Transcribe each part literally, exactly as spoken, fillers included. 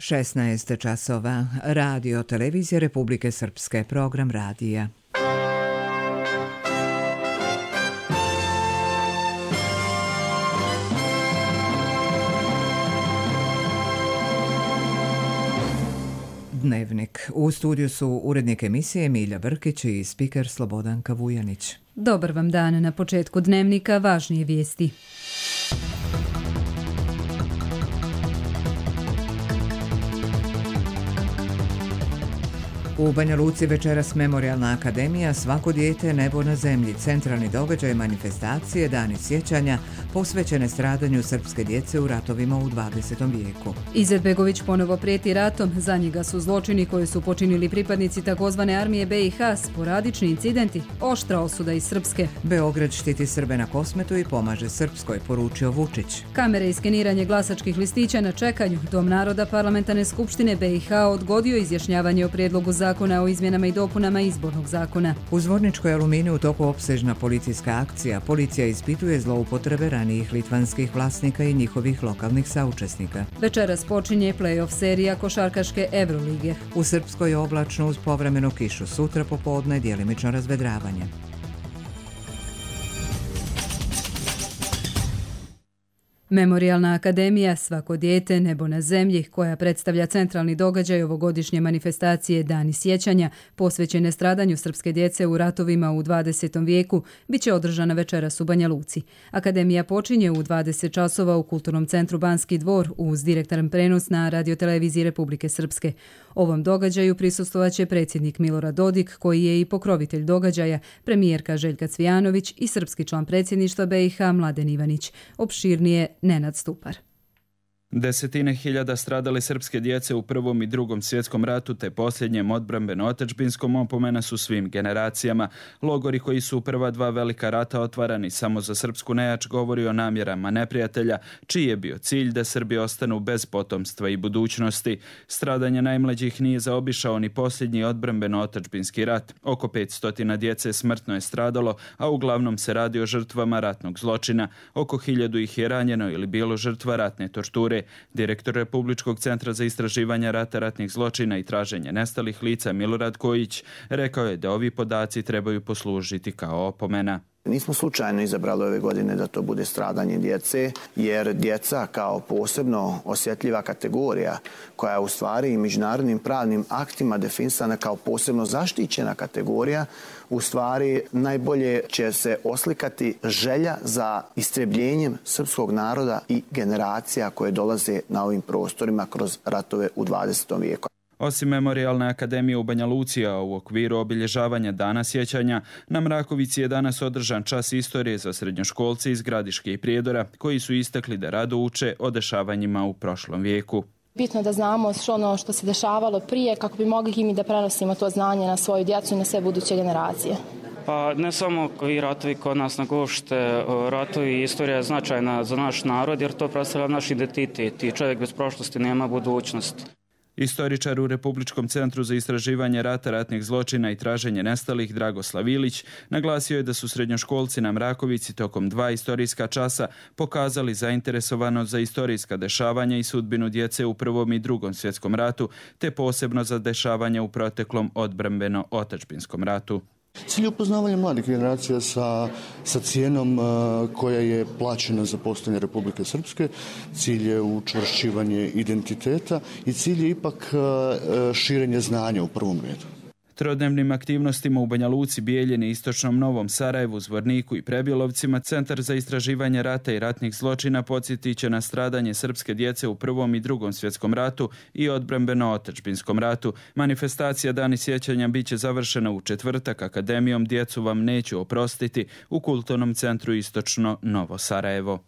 šesnaest časova. Radio Televizije Republike Srpske, program radija. Dnevnik. U studiju su urednik emisije Milja Brkić i spiker Slobodanka Vujanić. Dobar vam dan. Na početku Dnevnika važnije vijesti. U Banja Luci večeras Memorijalna akademija Svako dijete, nebo na zemlji. Centralni događaj manifestacije Dani sjećanja posvećene stradanju srpske djece u ratovima u dvadesetom vijeku. Izetbegović ponovo prijeti ratom. Za njega su zločini koje su počinili pripadnici takozvane armije B i H, sporadični incidenti, oštra osuda iz Srpske. Beograd štiti Srbe na Kosmetu i pomaže Srpskoj, poručio Vučić. Kamere i skeniranje glasačkih listića na čekanju. Dom naroda Parlamentarne skupštine B i H odgodio izjašnjavanje o prijedlogu za zakona o izmjenama i dopunama izbornog zakona. U Zvorničkoj Aluminiju u toku opsežna policijska akcija. Policija ispituje zloupotrebe ranijih litvanskih vlasnika i njihovih lokalnih saučesnika. Večeras počinje play-off serija košarkaške Evrolige. U Srpskoj oblačno uz povremenu kišu. Sutra popodne djelimično razvedravanje. Memorijalna akademija Svako dijete, nebo na zemlji, koja predstavlja centralni događaj ovogodišnje manifestacije Dani sjećanja posvećene stradanju srpske djece u ratovima u dvadesetom vijeku, bit će održana večeras u Banja Luci. Akademija počinje u dvadeset časova u Kulturnom centru Banski dvor uz direktan prenos na Radio Televiziji Republike Srpske. Ovom događaju prisustvovaće predsjednik Milorad Dodik, koji je i pokrovitelj događaja, premijerka Željka Cvijanović i srpski član predsjedništva B i H Mladen Ivanić. Opširnije Nenad Stupar. Desetine hiljada stradale srpske djece u Prvom i Drugom svjetskom ratu te posljednjem odbrambeno-otadžbinskom opomena su svim generacijama. Logori koji su u prva dva velika rata otvarani samo za srpsku nejač govori o namjerama neprijatelja, čiji je bio cilj da Srbi ostanu bez potomstva i budućnosti. Stradanje najmlađih nije zaobišao ni posljednji odbrambeno-otadžbinski rat. Oko petsto djece smrtno je stradalo, a uglavnom se radi o žrtvama ratnog zločina. Oko hiljadu ih je ranjeno ili bilo žrtva ratne torture. Direktor Republičkog centra za istraživanje rata, ratnih zločina i traženje nestalih lica Milorad Kojić rekao je da ovi podaci trebaju poslužiti kao opomena. Nismo slučajno izabrali ove godine da to bude stradanje djece, jer djeca kao posebno osjetljiva kategorija koja je u stvari i međunarodnim pravnim aktima definisana kao posebno zaštićena kategorija, u stvari najbolje će se oslikati želja za istrebljenjem srpskog naroda i generacija koje dolaze na ovim prostorima kroz ratove u dvadesetom vijeku. Osim Memorijalne akademije u Banja Luci, a u okviru obilježavanja Dana sjećanja, na Mrakovici je danas održan čas istorije za srednjoškolce iz Gradiške i Prijedora, koji su istakli da rado uče o dešavanjima u prošlom vijeku. Bitno je da znamo ono što se dešavalo prije, kako bi mogli i mi da prenosimo to znanje na svoju djecu i na sve buduće generacije. Pa ne samo koji ratovi kod nas na Gošte, ratovi i istorija je značajna za naš narod, jer to predstavlja naš identitet i čovjek bez prošlosti nema budućnost. Istoričar u Republičkom centru za istraživanje rata, ratnih zločina i traženje nestalih Dragoslav Ilić naglasio je da su srednjoškolci na Mrakovici tokom dva istorijska časa pokazali zainteresovanost za istorijska dešavanja i sudbinu djece u Prvom i Drugom svjetskom ratu, te posebno za dešavanja u proteklom odbrambeno-otadžbinskom ratu. Cilj je upoznavanja mladih generacija sa, sa cijenom uh, koja je plaćena za postojanje Republike Srpske, cilj je učvršćivanje identiteta i cilj je ipak uh, širenje znanja u prvom redu. Trodnevnim aktivnostima u Banja Luci, Bijeljini, Istočnom Novom Sarajevu, Zvorniku i Prebjelovcima Centar za istraživanje rata i ratnih zločina podsjetit će na stradanje srpske djece u Prvom i Drugom svjetskom ratu i odbrambeno-otadžbinskom ratu. Manifestacija Dani sjećanja bit će završena u četvrtak akademijom Djecu vam neću oprostiti u Kulturnom centru Istočno Novo Sarajevo.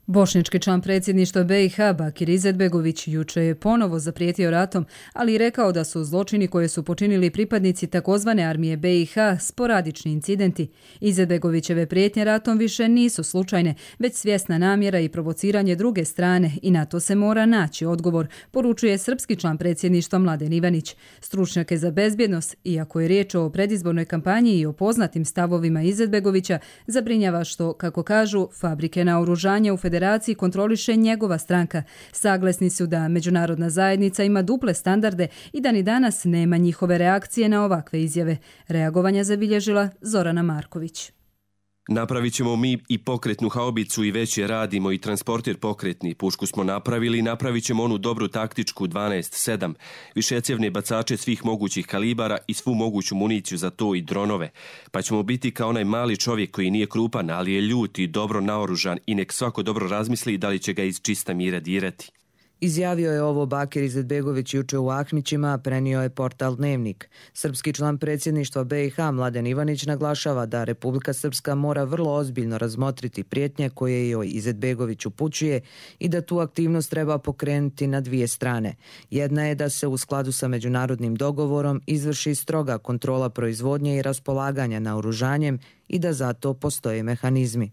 Bošnjački član predsjedništva B i H Bakir Izetbegović juče je ponovo zaprijetio ratom, ali i rekao da su zločini koje su počinili pripadnici takozvane armije B i H sporadični incidenti. Izetbegovićeve prijetnje ratom više nisu slučajne, već svjesna namjera i provociranje druge strane i na to se mora naći odgovor, poručuje srpski član predsjedništva Mladen Ivanić. Stručnjake za bezbjednost, iako je riječ o predizbornoj kampanji i o poznatim stavovima Izetbegovića, zabrinjava što, kako kažu, fabrike naoružanja u Federaciji federaciji kontroliše njegova stranka. Saglasni su da međunarodna zajednica ima duple standarde i da ni danas nema njihove reakcije na ovakve izjave. Reagovanja zabilježila Zorana Marković. Napravit ćemo mi i pokretnu haubicu i već je radimo i transportir pokretni. Pušku smo napravili i napravit ćemo onu dobru taktičku dvanaest sedam. Višecjevne bacače svih mogućih kalibara i svu moguću municiju za to i dronove. Pa ćemo biti kao onaj mali čovjek koji nije krupan, ali je ljut i dobro naoružan i nek svako dobro razmisli da li će ga iz čista mira dirati. Izjavio je ovo Bakir Izetbegović juče u Ahmićima, prenio je portal Dnevnik. Srpski član predsjedništva B i H Mladen Ivanić naglašava da Republika Srpska mora vrlo ozbiljno razmotriti prijetnje koje joj Izetbegović upućuje i da tu aktivnost treba pokrenuti na dvije strane. Jedna je da se u skladu sa međunarodnim dogovorom izvrši stroga kontrola proizvodnje i raspolaganja naoružanjem i da za to postoje mehanizmi.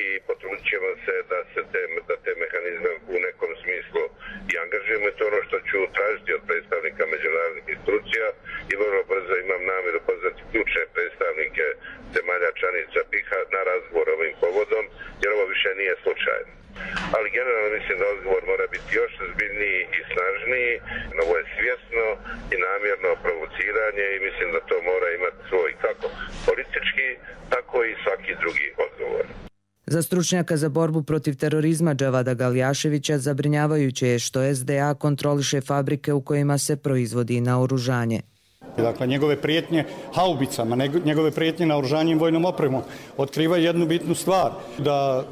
I potrudit ćemo se da se te, da te mehanizme u nekom smislu i angažujemo. To ono što ću tražiti od predstavnika međunarodnih institucija i vrlo brzo imam namjeru pozvati ključne predstavnike zemalja članica P I H-a na razgovor ovim povodom, jer ovo više nije slučajno. Ali generalno mislim da odgovor mora biti još ozbiljniji i snažniji. Ovo je svjesno i namjerno provociranje i mislim da to mora imati svoj kako politički, tako i svaki drugi odgovor. Za stručnjaka za borbu protiv terorizma Džavada Galjaševića zabrinjavajuće je što S D A kontroliše fabrike u kojima se proizvodi naoružanje. Dakle, njegove prijetnje haubicama, njegove prijetnje naoružanjem vojnom opremom otkrivaju jednu bitnu stvar, da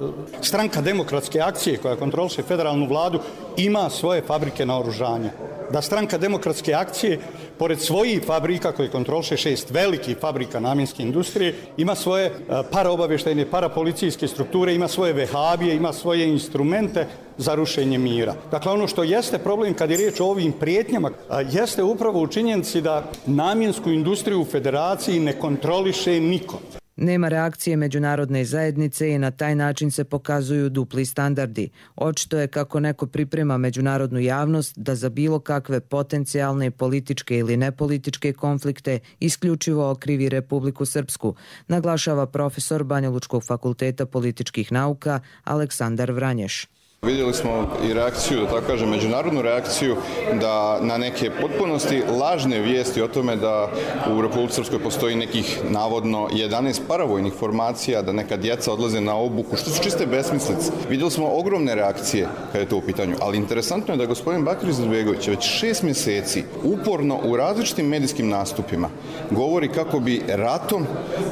stranka Demokratske akcije koja kontroliše federalnu vladu ima svoje fabrike naoružanja. Da stranka Demokratske akcije, pored svojih fabrika koje kontroliše šest velikih fabrika namjenske industrije, ima svoje paraobavještajne, parapolicijske strukture, ima svoje vehabije, ima svoje instrumente za rušenje mira. Dakle, ono što jeste problem kad je riječ o ovim prijetnjama, jeste upravo u činjenici da namjensku industriju u federaciji ne kontroliše niko. Nema reakcije međunarodne zajednice i na taj način se pokazuju dupli standardi. Očito je kako neko priprema međunarodnu javnost da za bilo kakve potencijalne političke ili nepolitičke konflikte isključivo okrivi Republiku Srpsku, naglašava profesor Banjalučkog fakulteta političkih nauka Aleksandar Vranješ. Vidjeli smo i reakciju, da tako kažem, međunarodnu reakciju da na neke potpunosti lažne vijesti o tome da u Republici Srpskoj postoji nekih navodno jedanaest paravojnih formacija, da neka djeca odlaze na obuku, što su čiste besmislice. Vidjeli smo ogromne reakcije kada je to u pitanju, ali interesantno je da gospodin Bakir Izetbegović već šest mjeseci uporno u različitim medijskim nastupima govori kako bi ratom,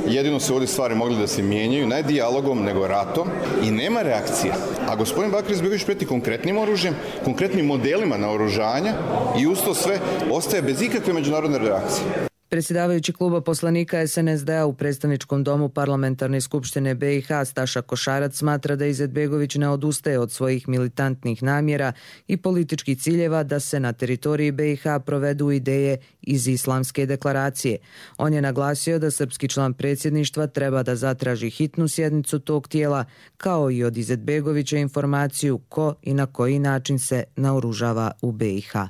jedino se ovdje stvari mogli da se mijenjaju, ne dijalogom, nego ratom, i nema reakcije. A gospodin Bakir Izetbegović prijeti konkretnim oružjem, konkretnim modelima naoružanja i uz to sve ostaje bez ikakve međunarodne reakcije. Predsjedavajući kluba poslanika S N S D-a u predstavničkom domu Parlamentarne skupštine B i H Staša Košarac smatra da Izetbegović ne odustaje od svojih militantnih namjera i političkih ciljeva da se na teritoriji B i H provedu ideje iz Islamske deklaracije. On je naglasio da srpski član predsjedništva treba da zatraži hitnu sjednicu tog tijela, kao i od Izetbegovića informaciju ko i na koji način se naoružava u B i H.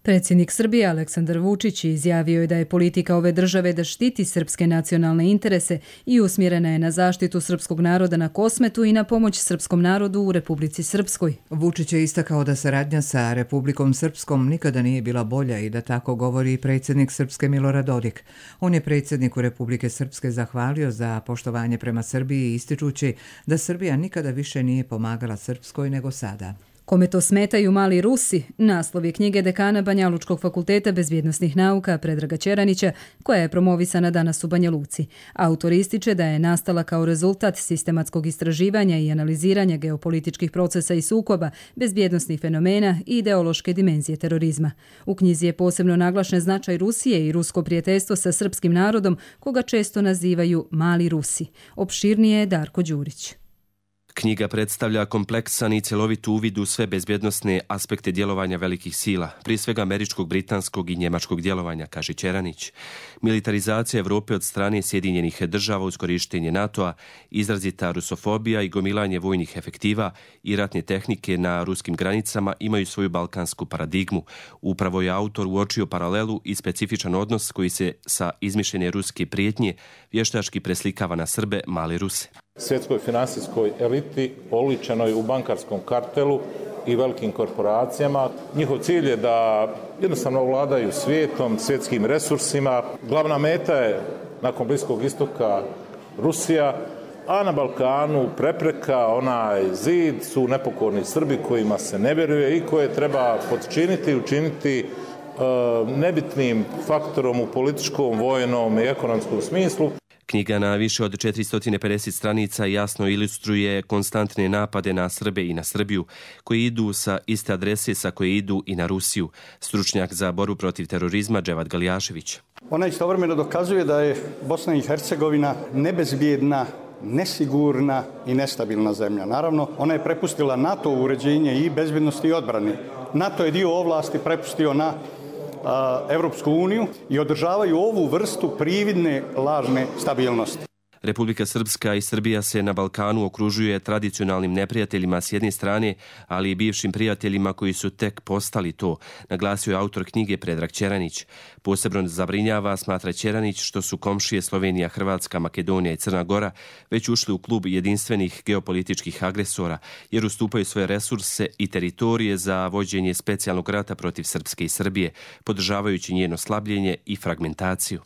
Predsjednik Srbije Aleksandar Vučić izjavio je da je politika ove države da štiti srpske nacionalne interese i usmjerena je na zaštitu srpskog naroda na Kosmetu i na pomoć srpskom narodu u Republici Srpskoj. Vučić je istakao da saradnja sa Republikom Srpskom nikada nije bila bolja i da tako govori i predsjednik Srpske Milorad Dodik. On je predsjedniku Republike Srpske zahvalio za poštovanje prema Srbiji, ističući da Srbija nikada više nije pomagala Srpskoj nego sada. Kome to smetaju mali Rusi, naslov je knjige dekana Banjalučkog fakulteta bezbjednosnih nauka Predraga Ćeranića, koja je promovisana danas u Banja Luci. Autor ističe da je nastala kao rezultat sistematskog istraživanja i analiziranja geopolitičkih procesa i sukoba, bezbjednosnih fenomena i ideološke dimenzije terorizma. U knjizi je posebno naglašen značaj Rusije i rusko prijateljstvo sa srpskim narodom, koga često nazivaju mali Rusi. Opširnije je Darko Đurić. Knjiga predstavlja kompleksan i cjelovit uvid u sve bezbjednosne aspekte djelovanja velikih sila, prije svega američkog, britanskog i njemačkog djelovanja, kaže Ćeranić. Militarizacija Evrope od strane Sjedinjenih država uz korištenje NATO-a, izrazita rusofobija i gomilanje vojnih efektiva i ratne tehnike na ruskim granicama imaju svoju balkansku paradigmu. Upravo je autor uočio paralelu i specifičan odnos koji se sa izmišljene ruske prijetnje vještački preslikava na Srbe, male Ruse. svjetskoj finansijskoj eliti oličenoj u bankarskom kartelu i velikim korporacijama. Njihov cilj je da jednostavno vladaju svijetom, svjetskim resursima. Glavna meta je nakon Bliskog istoka Rusija, a na Balkanu prepreka, onaj zid, su nepokorni Srbi kojima se ne vjeruje i koje treba podčiniti i učiniti e, nebitnim faktorom u političkom, vojnom i ekonomskom smislu. Knjiga na više od četiristo pedeset stranica jasno ilustruje konstantne napade na Srbe i na Srbiju, koji idu sa iste adrese sa koje idu i na Rusiju. Stručnjak za borbu protiv terorizma Dževad Galjašević. Ona istovremeno dokazuje da je Bosna i Hercegovina nebezbjedna, nesigurna i nestabilna zemlja. Naravno, ona je prepustila NATO uređenje i bezbjednosti i odbrane. NATO je dio ovlasti prepustio na a, Evropsku uniju i održavaju ovu vrstu prividne lažne stabilnosti. Republika Srpska i Srbija se na Balkanu okružuje tradicionalnim neprijateljima s jedne strane, ali i bivšim prijateljima koji su tek postali to, naglasio je autor knjige Predrag Ćeranić. Posebno zabrinjava, smatra Ćeranić, što su komšije Slovenija, Hrvatska, Makedonija i Crna Gora već ušli u klub jedinstvenih geopolitičkih agresora, jer ustupaju svoje resurse i teritorije za vođenje specijalnog rata protiv Srpske i Srbije, podržavajući njeno slabljenje i fragmentaciju.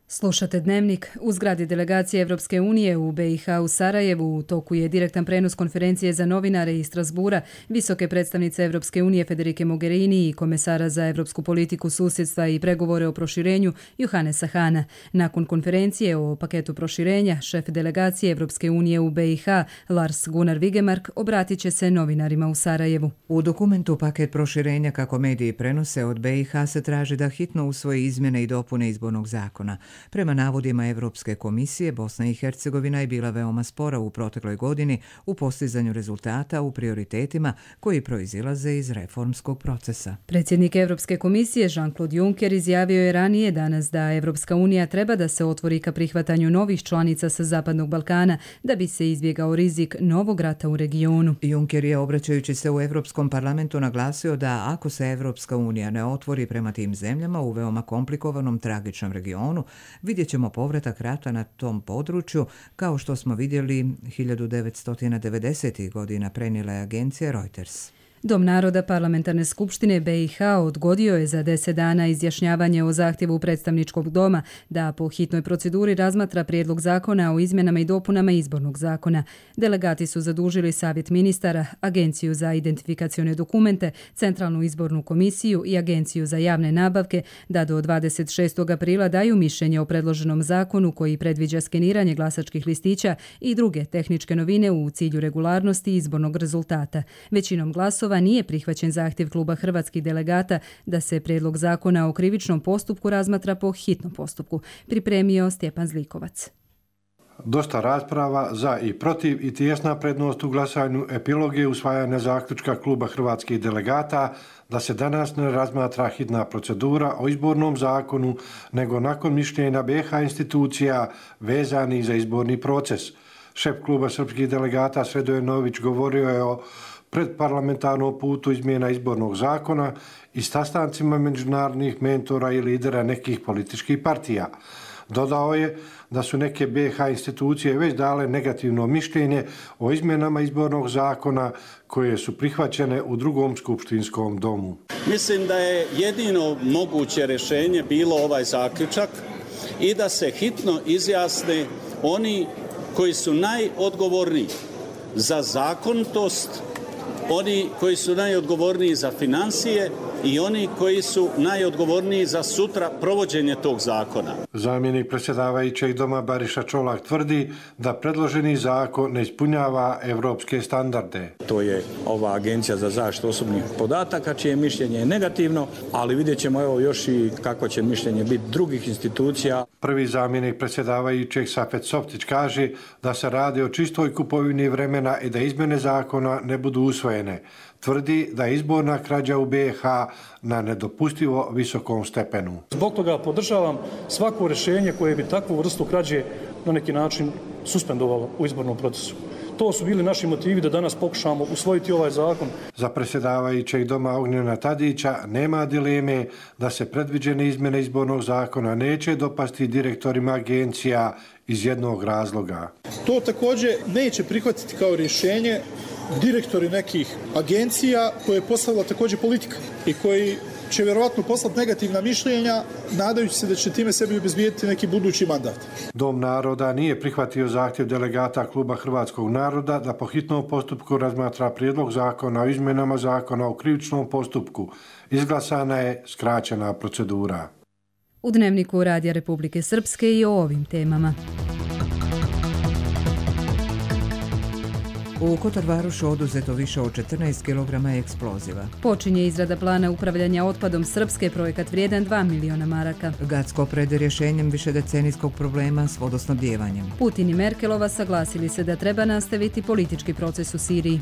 Slušate Dnevnik. U zgradi delegacije Evropske unije u B i H u Sarajevu u toku je direktan prenos konferencije za novinare iz Strasbura visoke predstavnice Evropske unije Federike Mogherini i komesara za evropsku politiku, susjedstva i pregovore o proširenju Johannesa Hana. Nakon konferencije o paketu proširenja, šef delegacije Evropske unije u B i H Lars Gunnar Vigemark obratit će se novinarima u Sarajevu. U dokumentu paket proširenja, kako mediji prenose, od B i H se traži da hitno usvoji izmjene i dopune izbornog zakona. Prema navodima Evropske komisije, Bosna i Hercegovina je bila veoma spora u protekloj godini u postizanju rezultata u prioritetima koji proizilaze iz reformskog procesa. Predsjednik Evropske komisije Jean-Claude Juncker izjavio je ranije danas da Evropska unija treba da se otvori ka prihvatanju novih članica sa Zapadnog Balkana da bi se izbjegao rizik novog rata u regionu. Juncker je, obraćajući se u Evropskom parlamentu, naglasio da ako se Evropska unija ne otvori prema tim zemljama u veoma komplikovanom, tragičnom regionu, vidjet ćemo povratak rata na tom području, kao što smo vidjeli hiljadu devetsto devedesetih godina, prenijela je agencija Reuters. Dom naroda Parlamentarne skupštine B i H odgodio je za deset dana izjašnjavanje o zahtjevu predstavničkog doma da po hitnoj proceduri razmatra prijedlog zakona o izmjenama i dopunama izbornog zakona. Delegati su zadužili Savjet ministara, Agenciju za identifikacione dokumente, Centralnu izbornu komisiju i Agenciju za javne nabavke da do dvadeset šestog aprila daju mišljenje o predloženom zakonu koji predviđa skeniranje glasačkih listića i druge tehničke novine u cilju regularnosti izbornog rezultata. Većinom glasova nije prihvaćen zahtjev kluba hrvatskih delegata da se prijedlog zakona o krivičnom postupku razmatra po hitnom postupku, pripremio Stjepan Zlikovac. Dosta rasprava za i protiv i tijesna prednost u glasanju epilog je usvajanja zaključka kluba hrvatskih delegata da se danas ne razmatra hitna procedura o izbornom zakonu, nego nakon mišljenja B i H institucija vezanih za izborni proces. Šef kluba srpskih delegata Sredoje Nović govorio je o predparlamentarnom putu izmjena izbornog zakona i sastancima međunarodnih mentora i lidera nekih političkih partija. Dodao je da su neke B i H institucije već dale negativno mišljenje o izmjenama izbornog zakona koje su prihvaćene u drugom skupštinskom domu. Mislim da je jedino moguće rješenje bilo ovaj zaključak i da se hitno izjasne oni koji su najodgovorniji za zakonitost, oni koji su najodgovorniji za financije i oni koji su najodgovorniji za sutra provođenje tog zakona. Zamjenik predsjedavajućeg doma Bariša Čolak tvrdi da predloženi zakon ne ispunjava evropske standarde. To je ova Agencija za zaštitu osobnih podataka, čije mišljenje je negativno, ali vidjet ćemo evo još i kako će mišljenje biti drugih institucija. Prvi zamjenik predsjedavajućeg Safet Softić kaže da se radi o čistoj kupovini vremena i da izmjene zakona ne budu usvojene. Tvrdi da je izborna krađa u B i H na nedopustivo visokom stepenu. Zbog toga podržavam svako rješenje koje bi takvu vrstu krađe na neki način suspendovalo u izbornom procesu. To su bili naši motivi da danas pokušamo usvojiti ovaj zakon. Za predsjedavajućeg doma Ognjena Tadića nema dileme da se predviđene izmjene izbornog zakona neće dopasti direktorima agencija iz jednog razloga. To također neće prihvatiti kao rješenje direktori nekih agencija koje je postavila također politika i koji će vjerovatno poslati negativna mišljenja, nadajući se da će time sebi obezbijediti neki budući mandat. Dom naroda nije prihvatio zahtjev delegata Kluba Hrvatskog naroda da po hitnom postupku razmatra prijedlog zakona o izmjenama zakona o krivičnom postupku. Izglasana je skraćena procedura. U Dnevniku Radija Republike Srpske i o ovim temama. U Kotorvarušu oduzeto više od četrnaest kilograma eksploziva. Počinje izrada plana upravljanja otpadom Srpske, projekat vrijedan dva miliona maraka. Gacko pred rješenjem višedecenijskog problema s vodosnabdjevanjem. Putin i Merkelova saglasili se da treba nastaviti politički proces u Siriji.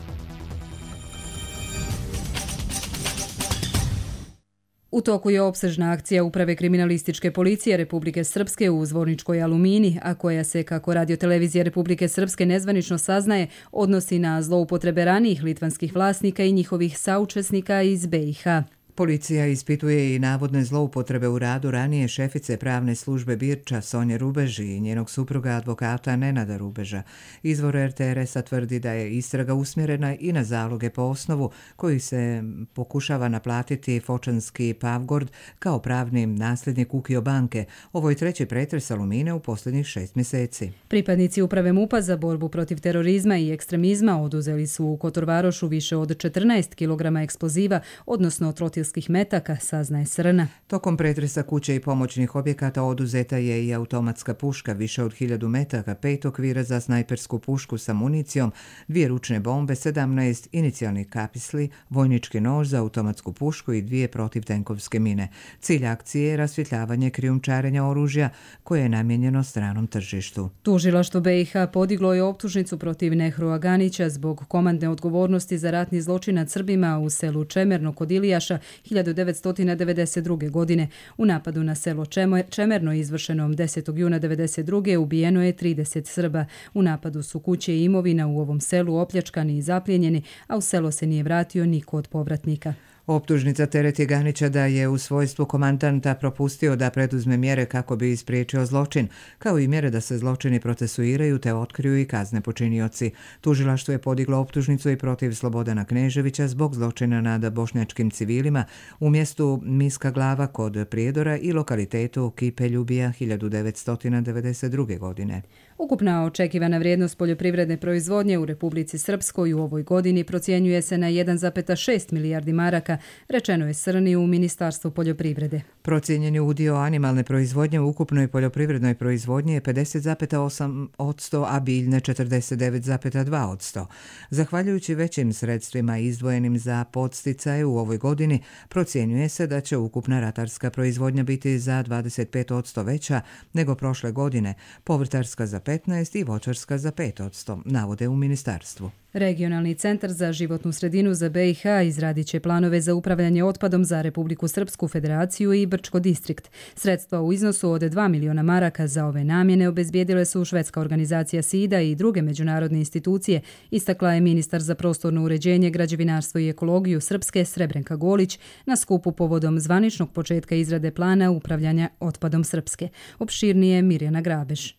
U toku je opsežna akcija Uprave kriminalističke policije Republike Srpske u Zvorničkoj Alumini, a koja se, kako radiotelevizija Republike Srpske nezvanično saznaje, odnosi na zloupotrebe ranijih litvanskih vlasnika i njihovih saučesnika iz B i H. Policija ispituje i navodne zloupotrebe u radu ranije šefice pravne službe Birča Sonje Rubež i njenog supruga advokata Nenada Rubeža. Izvor R T R S-a tvrdi da je istraga usmjerena i na zaloge po osnovu koji se pokušava naplatiti Fočanski Pavgord kao pravni nasljednik Ukio banke. Ovo je treći pretres Alumine u posljednjih šest mjeseci. Pripadnici Uprave MUP-a za borbu protiv terorizma i ekstremizma oduzeli su u Kotorvarošu više od četrnaest kilograma eksploziva, odnosno trotil metaka, saznaje Srna. Tokom pretresa kuće i pomoćnih objekata oduzeta je i automatska puška više od hiljadu metaka, pet okvira za snajpersku pušku sa municijom, dvije ručne bombe, sedamnaest inicijalnih kapisli, vojnički nož za automatsku pušku i dvije protivtenkovske mine. Cilj akcije je rasvjetljavanje krijumčarenja oružja koje je namijenjeno stranom tržištu. Tužilaštvo B i H podiglo je optužnicu protiv Nehrua Ganića zbog komandne odgovornosti za ratni zločin nad Srbima u selu Čemerno kod Ilijaša hiljadu devetsto devedeset druge. godine. U napadu na selo Čemerno izvršenom desetog juna devedeset druge. ubijeno je trideset Srba. U napadu su kuće i imovina u ovom selu opljačkani i zaplijenjeni, a u selo se nije vratio niko od povratnika. Optužnica tereti Ganića da je u svojstvu komandanta propustio da preduzme mjere kako bi ispriječio zločin, kao i mjere da se zločini procesuiraju te otkriju i kazne počinioci. Tužilaštvo je podiglo optužnicu i protiv Slobodana Kneževića zbog zločina nad bošnjačkim civilima u mjestu Miska Glava kod Prijedora i lokalitetu Kipe Ljubija hiljadu devetsto devedeset druge. godine. Ukupna očekivana vrijednost poljoprivredne proizvodnje u Republici Srpskoj u ovoj godini procjenjuje se na jedan zarez šest milijardi maraka, rečeno je Srni u Ministarstvu poljoprivrede. Procijenjeni udio animalne proizvodnje u ukupnoj poljoprivrednoj proizvodnji je pedeset zarez osam posto, a biljne četrdeset devet zarez dva posto. Zahvaljujući većim sredstvima izdvojenim za podsticaje u ovoj godini, procjenjuje se da će ukupna ratarska proizvodnja biti za dvadeset pet posto veća nego prošle godine, povrtarska za petnaest i voćarska za pet posto, navode u ministarstvu. Regionalni centar za životnu sredinu za B i H izradit će planove za upravljanje otpadom za Republiku Srpsku Federaciju i Brčko distrikt. Sredstva u iznosu od dva miliona maraka za ove namjene obezbijedile su švedska organizacija SIDA i druge međunarodne institucije, istakla je ministar za prostorno uređenje, građevinarstvo i ekologiju Srpske Srebrenka Golić na skupu povodom zvaničnog početka izrade plana upravljanja otpadom Srpske. Opširnije Mirjana Grabež.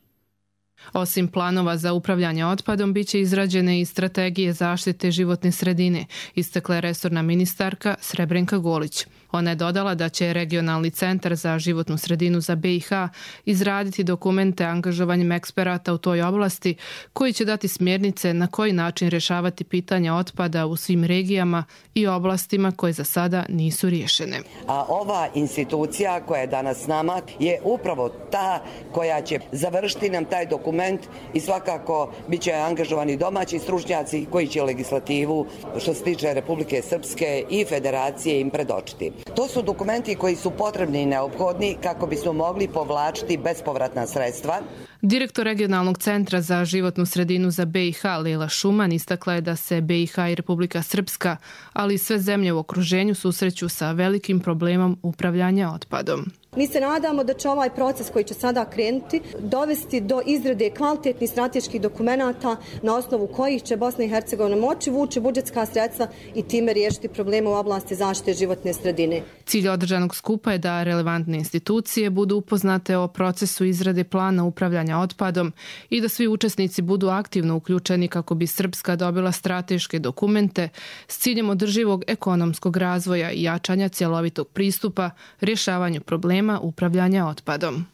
Osim planova za upravljanje otpadom, bit će izrađene i strategije zaštite životne sredine, istakla je resorna ministarka Srebrenka Golić. Ona je dodala da će Regionalni centar za životnu sredinu za B i H izraditi dokumente angažovanjem eksperata u toj oblasti koji će dati smjernice na koji način rješavati pitanja otpada u svim regijama i oblastima koje za sada nisu riješene. A ova institucija koja je danas s nama je upravo ta koja će završiti nam taj dokument i svakako bit će angažovani domaći stručnjaci koji će legislativu što se tiče Republike Srpske i Federacije im predočiti. To su dokumenti koji su potrebni i neophodni kako bismo mogli povlačiti bespovratna sredstva. Direktor Regionalnog centra za životnu sredinu za B i H Lejla Šuman istakla je da se B i H i Republika Srpska, ali i sve zemlje u okruženju susreću sa velikim problemom upravljanja otpadom. Mi se nadamo da će ovaj proces koji će sada krenuti dovesti do izrade kvalitetnih strateških dokumenata na osnovu kojih će Bosna i Hercegovina moći vući budžetska sredstva i time riješiti probleme u oblasti zaštite životne sredine. Cilj održanog skupa je da relevantne institucije budu upoznate o procesu izrade plana upravljanja otpadom i da svi učesnici budu aktivno uključeni kako bi Srpska dobila strateške dokumente s ciljem održivog ekonomskog razvoja i jačanja cjelovitog pristupa rješavanju problema upravljanja otpadom.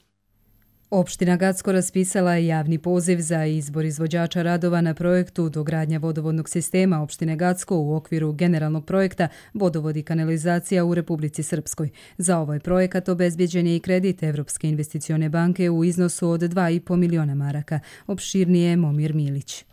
Opština Gacko raspisala je javni poziv za izbor izvođača radova na projektu dogradnja vodovodnog sistema opštine Gacko u okviru generalnog projekta Vodovod i kanalizacija u Republici Srpskoj. Za ovaj projekat obezbjeđen je i kredit Evropske investicione banke u iznosu od dva i po miliona maraka. Opširnije Momir Milić.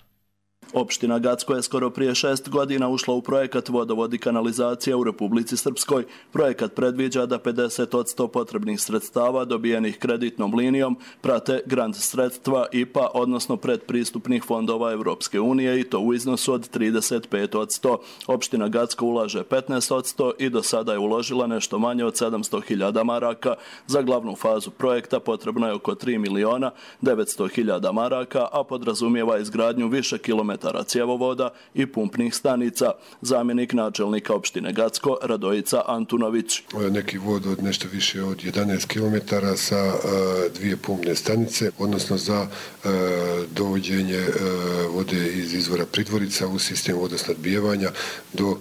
Opština Gacko je skoro prije šest godina ušla u projekat Vodovod i kanalizacija u Republici Srpskoj. Projekat predviđa da pedeset posto potrebnih sredstava dobijenih kreditnom linijom prate grant sredstva I P A, odnosno predpristupnih fondova Evropske unije i to u iznosu od trideset pet posto. Opština Gacko ulaže petnaest posto i do sada je uložila nešto manje od sedamsto hiljada maraka. Za glavnu fazu projekta potrebno je oko tri miliona devetsto hiljada maraka, a podrazumijeva izgradnju više kilometara cjevovoda i pumpnih stanica. Zamjenik načelnika opštine Gacko Radojica Antunović. Neki vod od nešto više od jedanaest kilometara sa a, dvije pumpne stanice, odnosno za a, dovođenje a, vode iz izvora Pridvorica u sistem vodosnadbijevanja do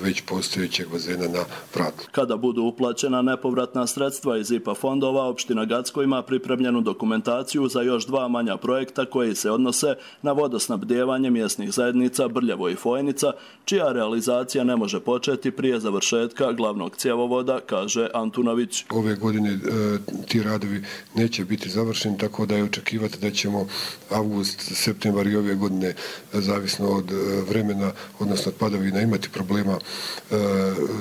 već postojećeg bazena na Vratu. Kada budu uplaćena nepovratna sredstva iz I P A fondova, opština Gacko ima pripremljenu dokumentaciju za još dva manja projekta koji se odnose na vodosnabdijevanje mjesnih zajednica Brljevo i Fojnica, čija realizacija ne može početi prije završetka glavnog cjevovoda, kaže Antunović. Ove godine e, ti radovi neće biti završeni, tako da je očekivati da ćemo avgust, septembar i ove godine, zavisno od vremena, odnosno od padavina, imati problema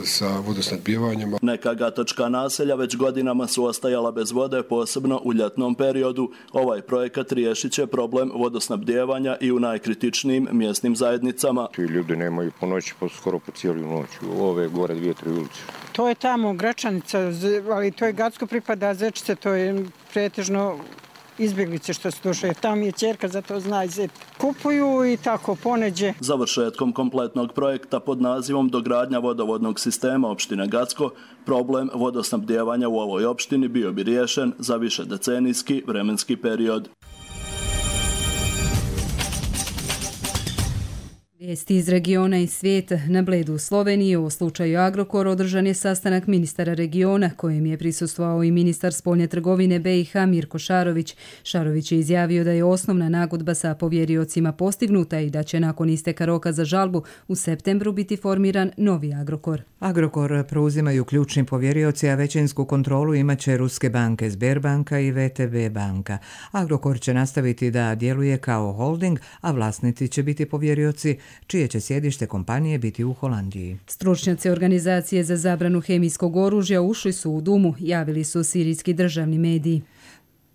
sa vodosnadbijevanjem. Neka gatočka naselja već godinama su ostajala bez vode, posebno u ljetnom periodu. Ovaj projekat riješit će problem vodosnabdijevanja i u najkritičnijim mjesnim zajednicama. Ti ljudi nemaju po noći, po skoro po cijelu noć. Ove gore dvije, tri ulice. To je tamo Gračanica, ali to je Gacko pripada Zečice, to je pretežno izbjeglice što su došle. Tam je ćerka, zato zna Zet. Kupuju i tako poneđe. Završetkom kompletnog projekta pod nazivom Dogradnja vodovodnog sistema opštine Gacko, problem vodosnabdijevanja u ovoj opštini bio bi riješen za više decenijski vremenski period. Vijesti iz regiona i svijeta. Na Bledu u Sloveniji o slučaju Agrokor održan je sastanak ministara regiona kojem je prisustvovao i ministar spoljne trgovine B i H Mirko Šarović. Šarović je izjavio da je osnovna nagodba sa povjeriocima postignuta i da će nakon isteka roka za žalbu u septembru biti formiran novi Agrokor. Agrokor preuzimaju ključni povjerioci, a većinsku kontrolu imaće ruske banke Sberbanka i V T B banka. Agrokor će nastaviti da djeluje kao holding, a vlasnici će biti povjerioci čije će sjedište kompanije biti u Holandiji. Stručnjaci organizacije za zabranu hemijskog oružja ušli su u Dumu, javili su sirijski državni mediji.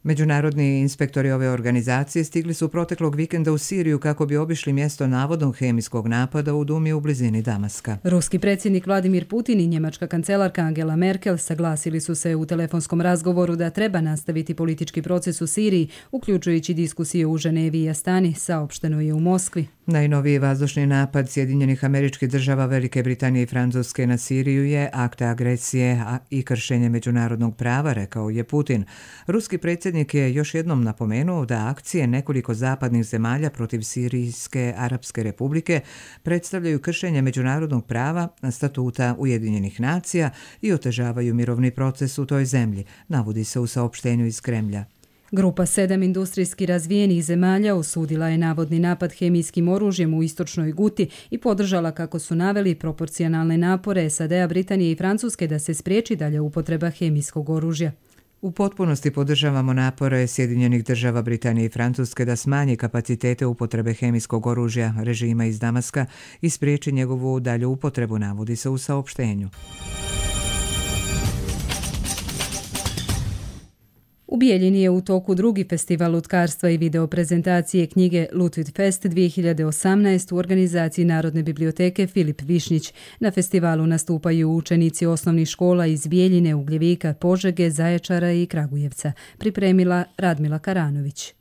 Međunarodni inspektori ove organizacije stigli su proteklog vikenda u Siriju kako bi obišli mjesto navodnog hemijskog napada u Dumi u blizini Damaska. Ruski predsjednik Vladimir Putin i njemačka kancelarka Angela Merkel saglasili su se u telefonskom razgovoru da treba nastaviti politički proces u Siriji, uključujući diskusije u Ženevi i Astani, saopšteno je u Moskvi. Najnoviji vazdušni napad Sjedinjenih Američkih Država, Velike Britanije i Francuske na Siriju je akt agresije i kršenje međunarodnog prava, rekao je Putin. Ruski predsjednik je još jednom napomenuo da akcije nekoliko zapadnih zemalja protiv Sirijske Arapske Republike predstavljaju kršenje međunarodnog prava, statuta Ujedinjenih nacija i otežavaju mirovni proces u toj zemlji, navodi se u saopštenju iz Kremlja. Grupa sedam industrijski razvijenih zemalja osudila je navodni napad hemijskim oružjem u istočnoj Guti i podržala, kako su naveli, proporcionalne napore S A D-a, Britanije i Francuske da se spriječi dalje upotreba hemijskog oružja. U potpunosti podržavamo napore Sjedinjenih Država, Britanije i Francuske da smanji kapacitete upotrebe hemijskog oružja režima iz Damaska i spriječi njegovu dalju upotrebu, navodi se u saopštenju. U Bijeljini je u toku drugi festival lutkarstva i videoprezentacije knjige Lutvit Fest dvije hiljade osamnaest u organizaciji Narodne biblioteke Filip Višnjić. Na festivalu nastupaju učenici osnovnih škola iz Bijeljine, Ugljevika, Požege, Zaječara i Kragujevca. Pripremila Radmila Karanović.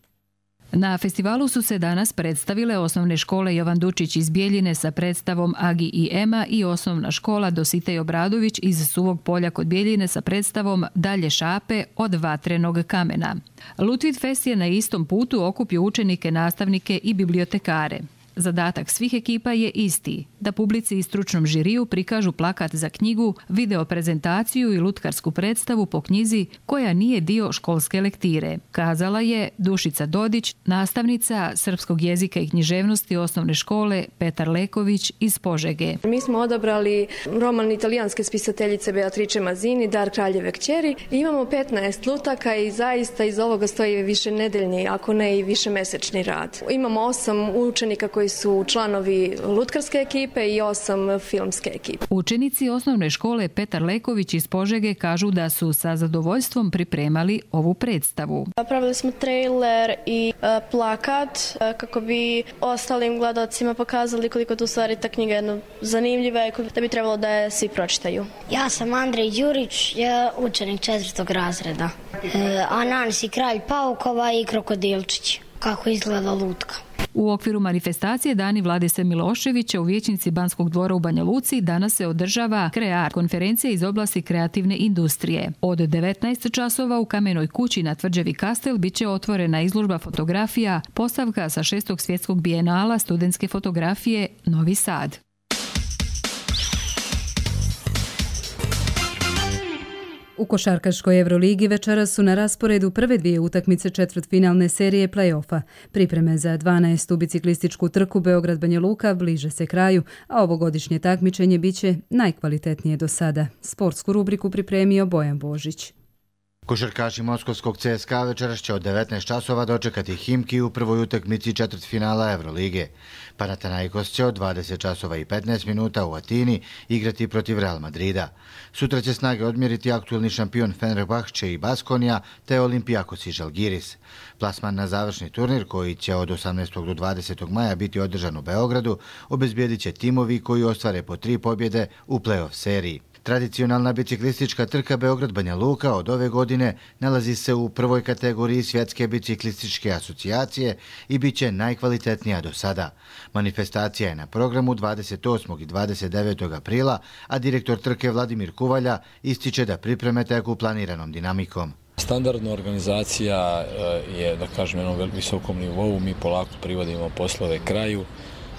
Na festivalu su se danas predstavile osnovne škole Jovan Dučić iz Bijeljine sa predstavom Agi i Ema i osnovna škola Dositej Obradović iz Suvog Polja kod Bijeljine sa predstavom Dalje šape od vatrenog kamena. Lutvit Fest je na istom putu okupio učenike, nastavnike i bibliotekare. Zadatak svih ekipa je isti, da publici i stručnom žiriju prikažu plakat za knjigu, video prezentaciju i lutkarsku predstavu po knjizi koja nije dio školske lektire, kazala je Dušica Dodić, nastavnica srpskog jezika i književnosti osnovne škole Petar Leković iz Požege. Mi smo odabrali roman italijanske spisateljice Beatrice Mazzini, Dar kraljeve kćeri. Imamo petnaest lutaka i zaista iz ovoga stoji više nedeljni, ako ne i više mesečni rad. Imamo osam učenika koji su članovi lutkarske ekipe i osam filmske ekipe. Učenici osnovne škole Petar Leković iz Požege kažu da su sa zadovoljstvom pripremali ovu predstavu. Napravili smo trailer i uh, plakat uh, kako bi ostalim gledalcima pokazali koliko tu stvari ta knjiga je zanimljiva i da bi trebalo da je svi pročitaju. Ja sam Andrej Đurić, ja učenik četvrtog razreda. Uh, Ananis i kralj paukova i krokodilčić. Kako izgleda lutka. U okviru manifestacije Dani Vladise Miloševića u vijećnici Banskog dvora u Banja Luci danas se održava Krear, konferencija iz oblasti kreativne industrije. Od devetnaest časova u Kamenoj kući na tvrđavi Kastel bit će otvorena izložba fotografija, postavka sa šestog svjetskog bijenala studentske fotografije Novi Sad. U košarkaškoj Euroligi večeras su na rasporedu prve dvije utakmice četvrtfinalne serije play-offa. Pripreme za dvanaestu biciklističku trku Beograd-Banja Luka bliže se kraju, a ovogodišnje takmičenje biće najkvalitetnije do sada. Sportsku rubriku pripremio Bojan Božić. Košarkaši moskovskog C S K A večeras će od devetnaest časova dočekati Himki u prvoj utakmici četvrtfinala Evrolige. Panathinaikos će od dvadeset časova i petnaest minuta u Atini igrati protiv Real Madrida. Sutra će snage odmjeriti aktualni šampion Fenerbahče i Baskonija te Olimpijakos i Žalgiris. Plasman na završni turnir koji će od osamnaestog do dvadesetog maja biti održan u Beogradu obezbijedit će timovi koji ostvare po tri pobjede u play-off seriji. Tradicionalna biciklistička trka Beograd-Banja Luka od ove godine nalazi se u prvoj kategoriji Svjetske biciklističke asocijacije i bit će najkvalitetnija do sada. Manifestacija je na programu dvadeset osmog i dvadeset devetog aprila, a direktor trke Vladimir Kuvalja ističe da pripreme teku planiranom dinamikom. Standardna organizacija je, da kažem, na jednom visokom nivou, mi polako privodimo poslove kraju.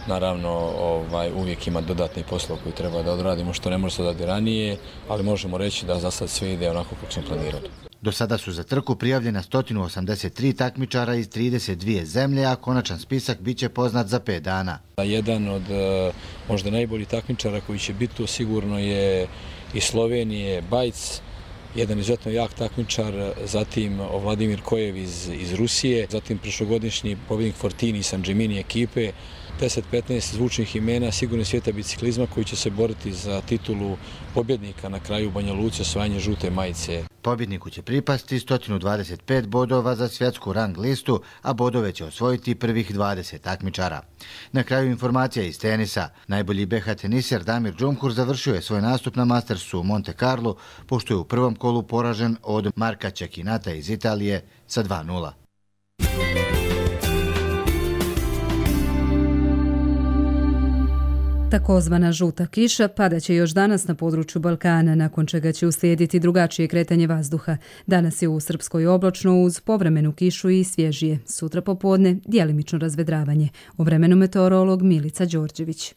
Naravno, ovaj, uvijek ima dodatni poslov koji treba da odradimo, što ne može se odraditi ranije, ali možemo reći da za sad sve ide onako kako smo planirali. Do sada su za trku prijavljena sto osamdeset tri takmičara iz trideset dvije zemlje, a konačan spisak bit će poznat za pet dana. Jedan od možda najboljih takmičara koji će biti tu sigurno je iz Slovenije Bajc, jedan izuzetno jak takmičar, zatim Vladimir Kojev iz, iz Rusije, zatim prošlogodišnji pobjednik Fortini i San Gemini ekipe, deset petnaest zvučnih imena sigurno svijeta biciklizma koji će se boriti za titulu pobjednika na kraju Banja Luci, osvajanje žute majice. Pobjedniku će pripasti sto dvadeset pet bodova za svjetsku rang listu, a bodove će osvojiti prvih dvadeset takmičara. Na kraju informacija iz tenisa. Najbolji B H teniser Damir Džumhur završio je svoj nastup na Mastersu u Monte Carlo, pošto je u prvom kolu poražen od Marka Čekinata iz Italije sa dva nula. Takozvana žuta kiša padaće još danas na području Balkana, nakon čega će uslijediti drugačije kretanje vazduha. Danas je u Srpskoj oblačno uz povremenu kišu i svježije. Sutra popodne djelimično razvedravanje. O vremenu meteorolog Milica Đorđević.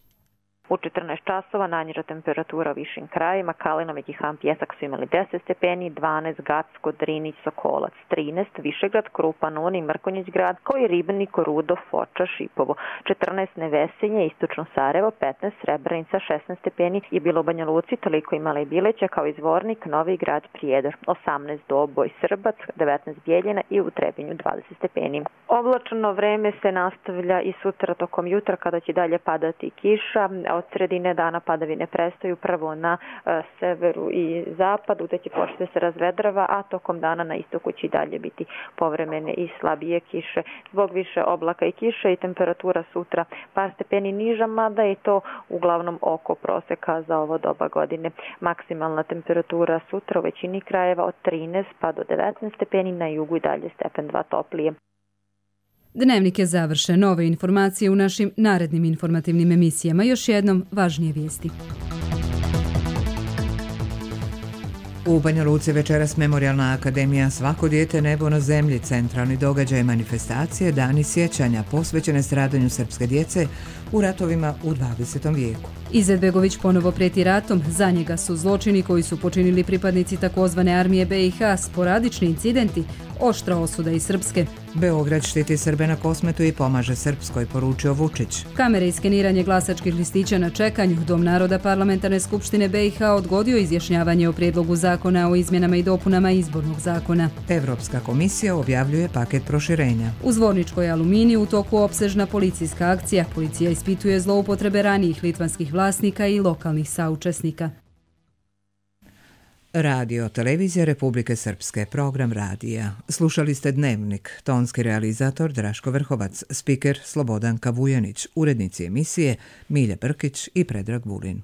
U četrnaest časova najniža temperatura u višim krajima, Kalina, Međihan, Pjesak su imali deset stepeni, dvanaest Gacko, Drinić, Sokolac, trinaest Višegrad, Krupan, Uni, Mrkonjić grad, koji Ribnik, Rudo, Foča, Šipovo, četrnaest Nevesenje, Istočno Sarajevo, petnaest Srebrenica, šesnaest stepeni je bilo u Banja Luci, toliko imala i Bileća kao izvornik, Novi grad, Prijedor, osamnaest Doboj, Srbac, devetnaest Bijeljina i u Trebinju dvadeset stepeni. Oblačno vreme se nastavlja i sutra tokom jutra kada će dalje padati kiša. od sredine dana padavine prestaju prvo na e, severu i zapadu, da će početi da se razvedrava, a tokom dana na istoku će i dalje biti povremene i slabije kiše. Zbog više oblaka i kiše i temperatura sutra par stepeni niža, mada je to uglavnom oko proseka za ovo doba godine. Maksimalna temperatura sutra u većini krajeva od trinaest pa do devetnaest stepeni, na jugu i dalje stepen dva toplije. Dnevnik je završen. Nove informacije u našim narednim informativnim emisijama. Još jednom važnije vijesti. U Banja Luci večeras Memorijalna akademija Svako dijete nebo na zemlji, centralni događaj manifestacije Dani sjećanja posvećene stradanju srpske djece u ratovima u dvadesetom vijeku. Izetbegović ponovo prijeti ratom. Za njega su zločini koji su počinili pripadnici takozvane armije B i H, sporadični incidenti, oštra osuda i srpske. Beograd štiti Srbe na Kosmetu i pomaže Srpskoj, poručio Vučić. Kamere i skeniranje glasačkih listića na čekanju. Dom naroda Parlamentarne skupštine B i H odgodio izjašnjavanje o prijedlogu zakona o izmjenama i dopunama izbornog zakona. Evropska komisija objavljuje paket proširenja. U Zvorničkoj Aluminiji u toku opsežna policijska akcija. Policija ispituje zloupotrebe ranijih litvanskih vlasnika i lokalnih saučesnika. Radio Televizija Republike Srpske, program radija. Slušali ste Dnevnik, tonski realizator Draško Vrhovac, spiker Slobodan Kavujanić, urednici emisije Milja Brkić i Predrag Vulin.